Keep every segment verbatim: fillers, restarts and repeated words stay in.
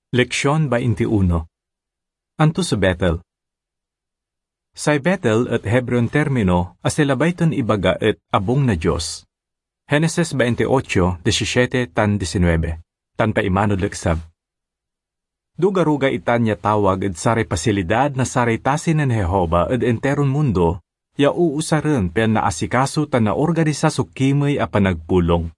Leksion bainti uno. Anto so Betel? Say Betel et Hebreon termino a say labay ton ibaga et abung na Dios. Genesis bainti ocho, disisiete, tan disinuebe, tan paimanod leksab. Duga-ruga itan ya tawag ed saray pasilidad na saray tasi nen Jehovah ed enteron mundo ya uusaren pian naasikaso tan naorganisa so kimey a panagpulong.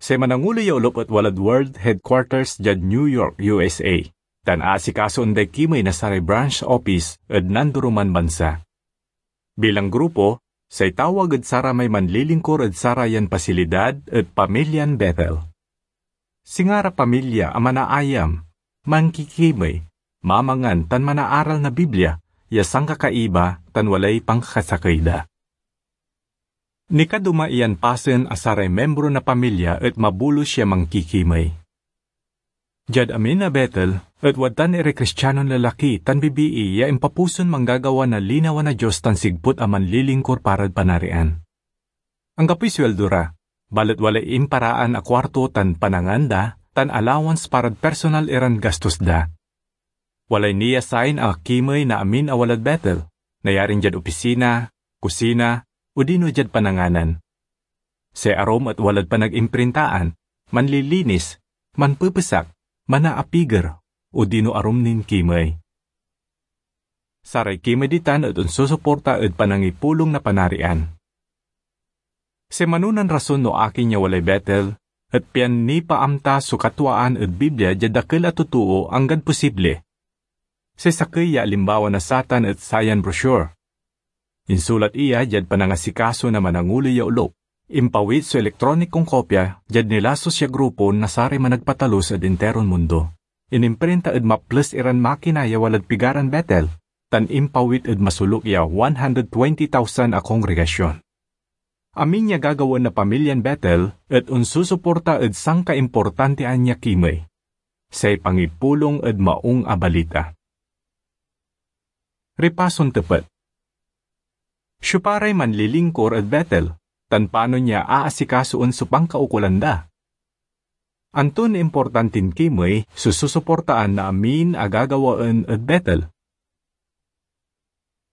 Say manangulo ya olop et walad World Headquarters diad New York, U S A, tan aasikasoen day kimey na saray branch office ed nandoroman bansa. Bilang grupo, say tawag ed saramay manlilingkur ed sarayan pasilidad et pamilyan Betel. Singa ra pamilya a manaayam, mankikimey, mamangan tan manaaral na Biblia ya sankakaiba tan walay pankakasakey da. Nikaduma iyan pasen a saray miembro na pamilya et mabulos ya mankikimey. Diad amin a Betel et wadtan iray Kristianon lalaki tan bibii ya impapuson manggagawa na linawa na Dios tan sigput a manlilingkur parad Panarian. Anggapoy sueldo ra, balet walay imparaan a kuarto tan panangan da tan allowance parad personal iran gastos da. Walay ni-assign a kimey na amin a walad Betel, nayarin diad opisina, kusina, odino diad pananganan. Say arum et walad panag-imprintaan, manlilinis, manpepesak, manaapiger, odino arum nin kimey. Saray kimey ditan et onsusuporta ed panangipulong na Panarian. Say manonan rason no akin ya walay Betel et pian nipaamta so katwaan ed Biblia diad dakel a totoo anggad posible. Say sakey ya alimbawa na satan et sayan brochure. Insulat iya diad panangasikaso na mananguloy ya olop. Impawit so elektronikon kopia diad nilasus ya grupo na saray managpatalus ed interon mundo. Inimprinta ed maples iran makina ya walad pigaran Betel, tan impawit ed masoluk ya one hundred twenty thousand a kongregasyon. Amin ya gagawaen na pamilyan Betel et onsusuporta ed sankaimportantian ya kimey, say pangipulong ed Maung a Balita. Ripason tepet. Siopa ray manlilingkur ed Betel, tan panon ya aasikasoen so pankaukolan da? Anton importantin kimey so susuportaan na amin a gagawaen ed Betel?